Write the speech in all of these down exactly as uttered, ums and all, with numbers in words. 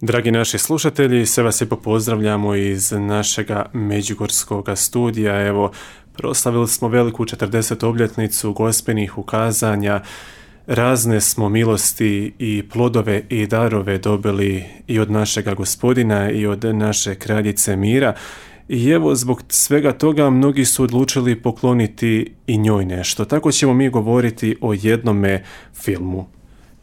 Dragi naši slušatelji, sve vas lijepo pozdravljamo iz našega međugorskog studija. Evo, proslavili smo veliku četrdesetu obljetnicu gospelnih ukazanja. Razne smo milosti i plodove i darove dobili i od našega Gospodina i od naše kraljice mira. I evo, zbog svega toga mnogi su odlučili pokloniti i njoj nešto. Tako ćemo mi govoriti o jednome filmu.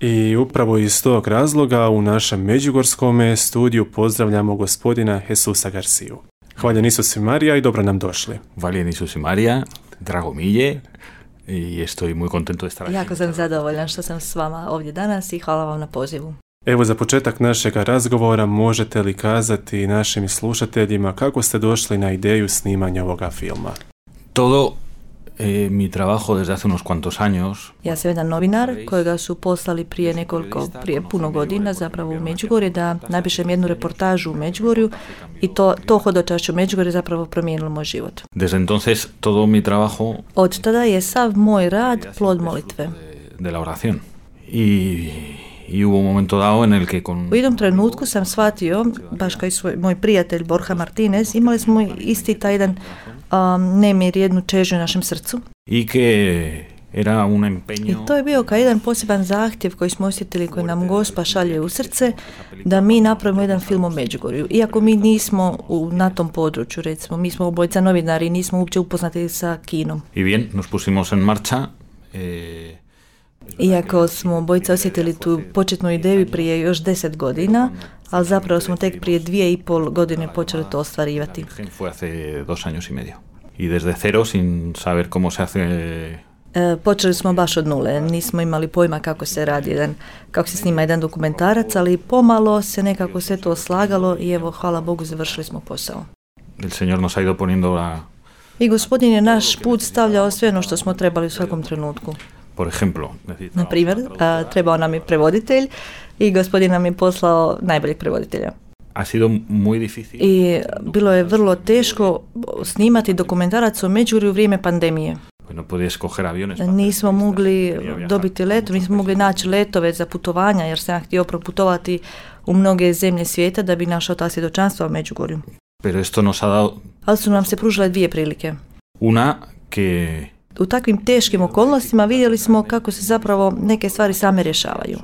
I upravo iz tog razloga u našem međugorskom studiju pozdravljamo gospodina Jesusa Garciju. Hvaljen Isus i Marija i dobro nam došli. Hvaljen Isus i Marija, drago mi je i estoy muy contento de estar aquí. Jako sam zadovoljan što sam s vama ovdje danas i hvala vam na pozivu. Evo, za početak našeg razgovora možete li kazati našim slušateljima kako ste došli na ideju snimanja ovoga filma? Todo eh, mi trabajo desde hace unos cuantos años. Ja sam jedan novinar kojega su poslali prije nekoliko, prije puno godina zapravo u Međugorje da napišem jednu reportažu u Međugorju i to, to hodočašće u Međugorje zapravo promijenilo moj život. Desde entonces todo mi trabajo. Od tada je sav moj rad plod molitve. De la oración. Y I hubo un momento dado en el que con... U jednom trenutku sam shvatio, baš kao i svoj, moj prijatelj Borja Martinez, imali smo isti taj jedan um, nemir, jednu čežnju u našem srcu. I que era un empeño... I to je bio kao jedan poseban zahtjev koji smo osjetili, koji nam Gospa šalje u srce, da mi napravimo jedan film o Međugorju. Iako mi nismo u, na tom području, recimo, mi smo obojica novinari i nismo uopće upoznati sa kinom. I bien, nos pusimos en marcha... Eh... Iako smo obojica osjetili tu početnu ideju prije još deset godina, ali zapravo smo tek prije dvije i pol godine počeli to ostvarivati. Fue hace dos años y medio. Y desde cero, sin saber cómo se hace... E, počeli smo baš od nule, nismo imali pojma kako se radi jedan, kako se snima jedan dokumentarac, ali pomalo se nekako sve to slagalo i evo, hvala Bogu, završili smo posao. El Señor nos ha ido poniendo la... I Gospodin je naš put stavljao sve ono što smo trebali u svakom trenutku. Por ejemplo, na primjer, a, trebao nam je prevoditelj i Gospodin nam je poslao najboljeg prevoditelja. Ha sido muy difícil. I bilo je vrlo teško snimati dokumentarac o Međugorju u vrijeme pandemije. No podías coger aviones. Nismo mogli dobiti letove, nismo mogli naći letove za putovanja jer sam htio proputovati u mnoge zemlje svijeta da bi našao ta svjedočanstva u Međugorju. Pero esto nos ha dado... Ali su nam se pružile dvije prilike. Una que... U takvim teškim okolnostima vidjeli smo kako se zapravo neke stvari same rješavaju.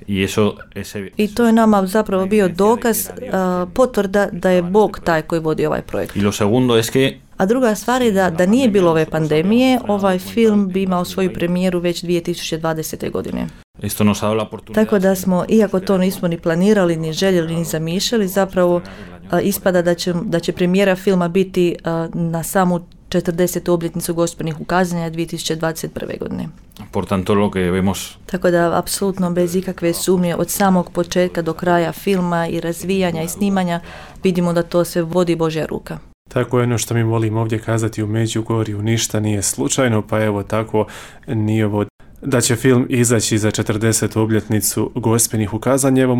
I, eso, ese... I to je nama zapravo bio dokaz, uh, potvrda da je Bog taj koji vodi ovaj projekt. Y lo segundo es que... A druga stvar je da, da nije bilo ove pandemije, ovaj film bi imao svoju premijeru već dvije tisuće dvadesete. godine. Esto nos ha dado la oportunidad... Tako da smo, iako to nismo ni planirali, ni željeli, ni zamišljali, zapravo uh, ispada da će, da će premijera filma biti uh, na samu četrdesetu obljetnicu gospelnih ukazanja dvije tisuće dvadeset prve. godine. Por tanto, lo que vemos... Tako da, apsolutno bez ikakve sumnje, od samog početka do kraja filma i razvijanja i snimanja, vidimo da to sve vodi Božja ruka. Tako je ono što mi volimo ovdje kazati u Međugorju, ništa nije slučajno, pa evo tako nije ovo da će film izaći za četrdesetu obljetnicu gospelnih ukazanja. Evo,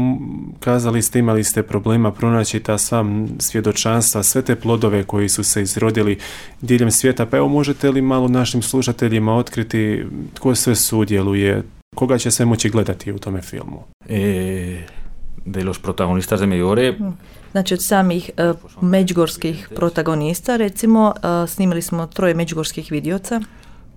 kazali ste, imali ste problema pronaći ta sva svjedočanstva, sve te plodove koji su se izrodili diljem svijeta, pa evo možete li malo našim slušateljima otkriti tko sve sudjeluje, koga će se moći gledati u tome filmu? E, de los protagonistas de Medjugorje. Znači od samih uh, međugorskih protagonista, recimo, uh, snimili smo troje međugorskih vidioca.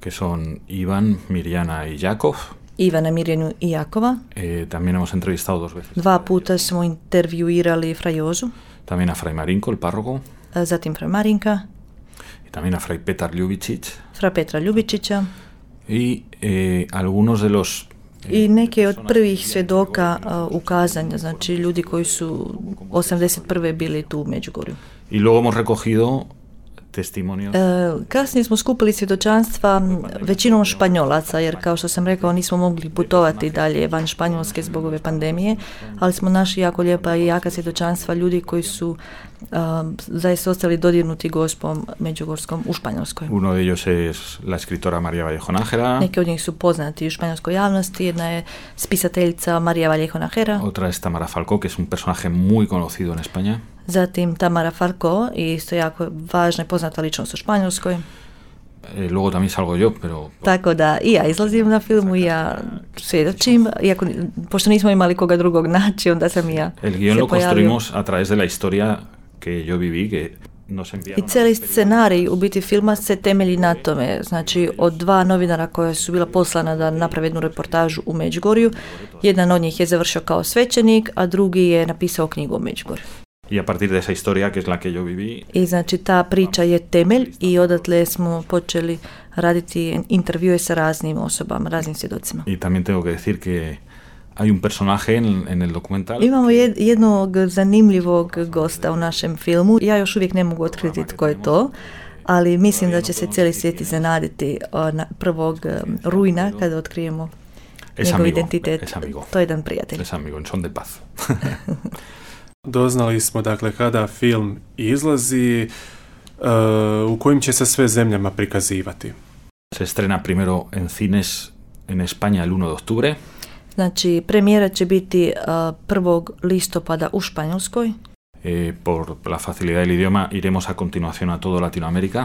Que son Ivan, Mirjana y Jakov. Ivana, Mirjanu i Jakova. Eh, también hemos entrevistado dos veces. Dva puta smo intervjuirali Fra Jozu. También a Fray Marinko, el párroco. Zatim Fra Marinka. Y también a Fray Petar Ljubicic. Fra Petra Ljubičića. Y eh, algunos de los... I neke od prvih svjedoka uh, ukazanja, znači ljudi koji su osamdeset prve bili tu u Međugorju. Y luego hemos recogido testimonios. E, kasnije smo skupili svjedočanstva većinom Španjolaca, jer kao što sam rekao nismo mogli putovati dalje van Španjolske zbog ove pandemije, ali smo našli jako lijepa i jaka svjedočanstva ljudi koji su um, zaista ostali dodirnuti Gospom međugorskom u Španjolskoj. Uno de ellos es la escritora María Vallejo Nájera. Neki od njih su poznati u španjolskoj javnosti. Jedna je spisateljica María Vallejo Nájera. Otra es Tamara Falcó, que es un personaje muy conocido en España. Zatim Tamara Falcó, isto jako važna i poznata ličnost u Španjolskoj. Eh, luego también salgo yo, pero... Tako da i ja izlazim na filmu i ja svjedočim, iako, pošto nismo imali koga drugog naći, onda sam i ja El guión se lo pojavio. construimos a través de la historia que yo viví, que nos I enviaron... cijeli scenarij u biti filma se temelji na tome, znači od dva novinara koja su bila poslana da naprave jednu reportažu u Međugorju, jedan od njih je završio kao svećenik, a drugi je napisao knjigu o Međugorju. Y a partir de esa historia, que es la que yo viví, I znači ta priča je temelj i odatle smo počeli raditi intervjue sa raznim osobama, raznim svjedocima. y también tengo que decir que hay un personaje en, en el documental Imamo jed, jednog zanimljivog gosta u našem filmu. Ja još uvijek ne mogu otkriti tko je to, ali mislim da će se cijeli svijet iznenaditi na prvog rujna kada otkrijemo es njegov amigo, identitet. es amigo, To je jedan prijatelj. es amigo, en son de paz. Doznali smo dakle kada film izlazi, uh, u kojim će se sve zemljama prikazivati. Se estrena primero en cines en España el uno de octubre, Znači, premijera će biti uh, prvog listopada u Španjolskoj. eh, por la facilidad del idioma iremos a continuación a todo Latinoamérica.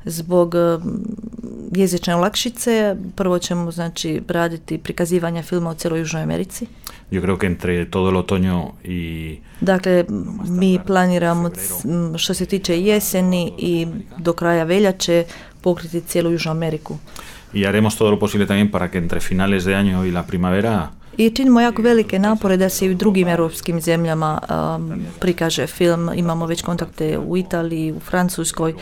Zbog uh, jezične olakšice prvo ćemo znači raditi prikazivanja filma u cijeloj Južnoj Americi. Yo creo que entre todo el otoño y Dakle, mi planiramo c- m, što se tiče jeseni i do kraja veljače pokriti cijelu Južnu Ameriku. y haremos todo lo posible también para que entre finales de año y la primavera I činimo jako velike napore da se i u drugim europskim zemljama um, prikaže film. Imamo već kontakte u Italiji, u Francuskoj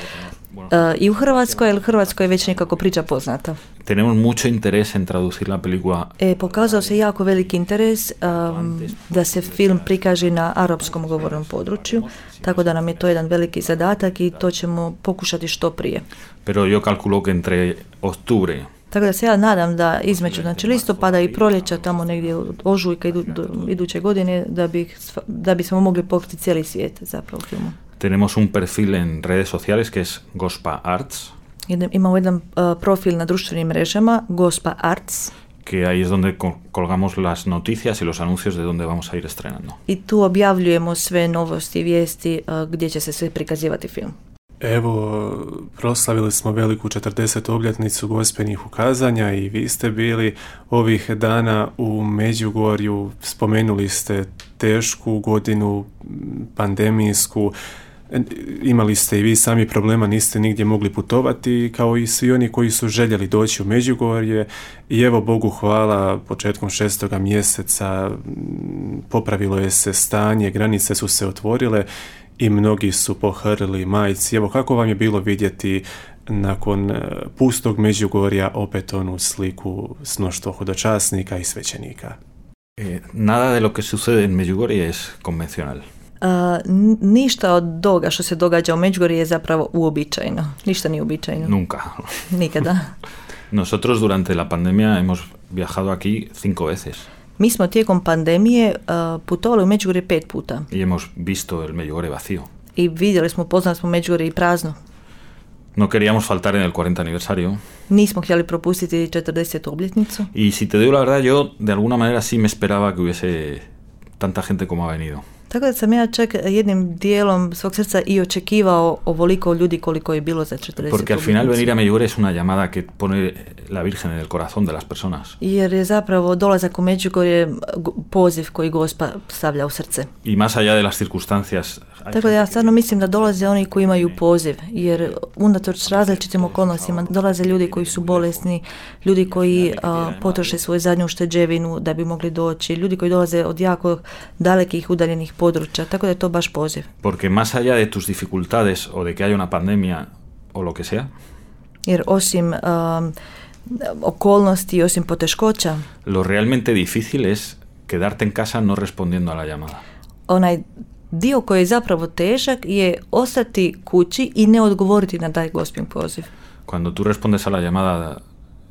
uh, i u Hrvatskoj, jer Hrvatskoj je već nekako priča poznata. tenemos mucho interés en traducir la película E, pokazao se jako veliki interes um, da se film prikaže na arapskom govornom području, tako da nam je to jedan veliki zadatak i to ćemo pokušati što prije. pero yo calculo que entre octubre Tako da se ja nadam da između znači, listopada i proljeća, tamo negdje od ožujka idu, do, iduće godine, da, bi, da bismo mogli pokriti cijeli svijet zapravo filmu. tenemos un perfil en redes sociales que es Gospa Arts, Jedan, imamo jedan uh, profil na društvenim mrežama, Gospa Arts, que ahí es donde co- colgamos las noticias y los anuncios de dónde vamos a ir estrenando. i tu objavljujemo sve novosti i vijesti uh, gdje će se sve prikazivati film. Evo, proslavili smo veliku četrdesetu obljetnicu Gospinih ukazanja i vi ste bili ovih dana u Međugorju, spomenuli ste tešku godinu, pandemijsku, imali ste i vi sami problema, niste nigdje mogli putovati, kao i svi oni koji su željeli doći u Međugorje i evo Bogu hvala, početkom šestoga mjeseca popravilo je se stanje, granice su se otvorile i mnogi su pohrlili majci. Evo, kako vam je bilo vidjeti nakon pustog Međugorja opet onu sliku s mnoštvo hodočasnika i svećenika? Eh, nada de lo que sucede en Medjugorje es convencional. Uh, n- ništa od toga što se događa u Međugorju je zapravo uobičajeno. Ništa nije uobičajeno. Nunca. Nikada. Nosotros durante la pandemia hemos viajado aquí cinco veces Mi smo tijekom pandemije uh, putovali u Međugorje pet puta y hemos visto el Medjugorje vacío. i vidjeli smo, poznali smo Međugorje i prazno. No queríamos faltar en el cuarenta aniversario. Nismo htjeli propustiti četrdesetu obljetnicu. Y si te digo la verdad, yo de alguna manera sí me esperaba que hubiese tanta gente como ha venido. Tako da sam ja čak jednim dijelom svog srca i očekivao ovoliko ljudi koliko je bilo za četrdesetu Porque al final obljetnicu. venir a Medjugorje es una llamada que pone la Virgen en el corazón de las personas. Jer je zapravo dolazak u Međugorje go- poziv koji Gospa stavlja u srce. Y más allá de las circunstancias, hay Tako da ja gente stvarno mislim da dolaze oni koji imaju poziv, jer unatoč različitim okolnostima dolaze ljudi koji su bolesni, ljudi koji a, potroše svoju zadnju ušteđevinu da bi mogli doći, ljudi koji dolaze od jako dalekih udaljenih područja, tako da je to baš poziv. porque más allá de tus dificultades o de que haya una pandemia o lo que sea, Jer osim a, okolnosti, osim poteškoća, lo realmente difícil es quedarte en casa no respondiendo a la llamada. onaj dio koji je zapravo težak je ostati kući i ne odgovoriti na taj Gospin poziv. Cuando tú respondes a la llamada,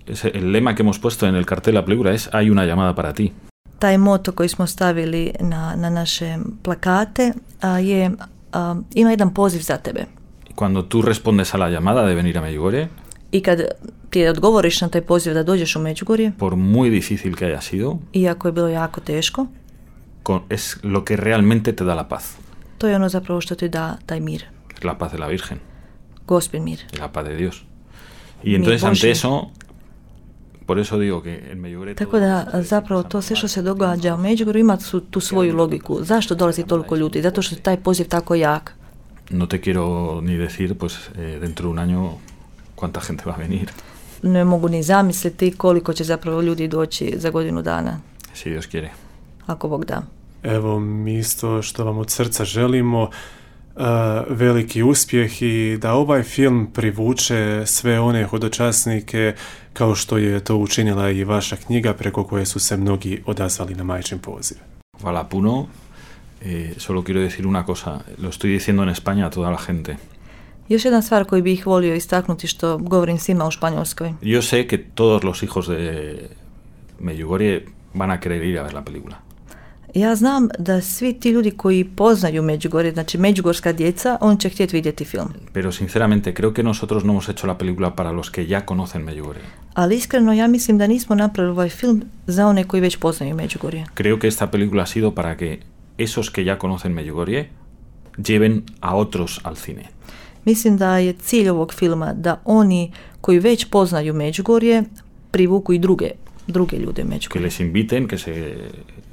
ese, el lema que hemos puesto en el cartel de la película es hay una llamada para ti. Taj moto koji smo stavili na, na naše plakate a, je a, ima jedan poziv za tebe. Y cuando tú respondes a la llamada de venir a Medjugorje, I kad ti odgovoriš na taj poziv da dođeš u Međugorje, por muy difícil que haya sido, iako je bilo jako teško, con- es lo que realmente te da la paz. to je ono zapravo što ti da taj mir, Es la paz de la Virgen Gospin mir. y la paz de Dios. Y entonces mi ante Božji. eso, por eso digo que en Medjugorje... Tako da zapravo to sve što se događa u Međugorju ima su, tu svoju logiku. Zašto dolazi toliko ljudi? Zato što je taj poziv tako jak. No te quiero ni decir, pues, eh, dentro de un año cuánta gente va a venir. Ne mogu ni zamisliti koliko će zapravo ljudi doći za godinu dana, Si Dios quiere. ako Bog da. Evo, mi isto što vam od srca želimo, uh, veliki uspjeh i da ovaj film privuče sve one hodočasnike kao što je to učinila i vaša knjiga preko koje su se mnogi odazvali na majčin poziv. Hvala puno. Eh, solo quiero decir una cosa. Lo estoy diciendo en España a toda la gente. Još jedna stvar koju bih volio istaknuti što govorim svima u Španjolskoj. Yo sé que todos los hijos de Medjugorje van a querer ir a ver la película. Ja znam da svi ti ljudi koji poznaju Međugorje, znači međugorska djeca, on će htjeti vidjeti film. Pero sinceramente creo que nosotros no hemos hecho la película para los que ya conocen Medjugorje. Ali iskreno ja mislim da nismo napravili ovaj film za one koji već poznaju Međugorje. Creo que esta película ha sido para que esos que ya conocen Medjugorje lleven a otros al cine. Mislim da je cilj ovog filma da oni koji već poznaju Međugorje privuku i druge, druge ljude u Que Međugorje. les inviten que se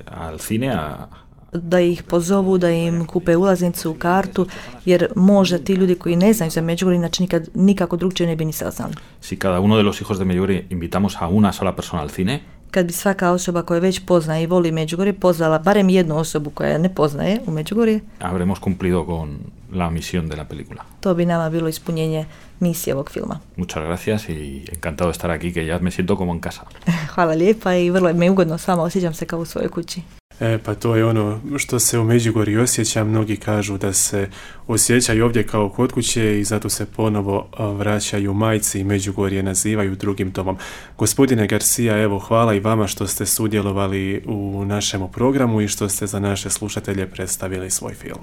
al cine a, Da ih pozovu, da im kupe ulaznicu, kartu, jer možda ti ljudi koji ne znaju za Međugorje, znači nikad, nikako drugčije ne bi ni saznali. si cada uno de los hijos de Medjugorje invitamos a una sola persona al cine, Kad bi svaka osoba koja već poznaje i voli Međugorje pozvala barem jednu osobu koja ne poznaje u Međugorje, habremos cumplido con la misión de la película. to bi nama bilo ispunjenje misije ovog filma. Muchas gracias y encantado de estar aquí, que ya me siento como en casa. Hvala lijepa i vrlo mi je ugodno s vama, osjećam se kao u svojoj kući. E, pa to je ono što se u Međugorju osjeća. Mnogi kažu da se osjećaju ovdje kao kod kuće i zato se ponovo a, vraćaju majci i Međugorje nazivaju drugim domom. Gospodine Garcia, evo, hvala i vama što ste sudjelovali u našemu programu i što ste za naše slušatelje predstavili svoj film.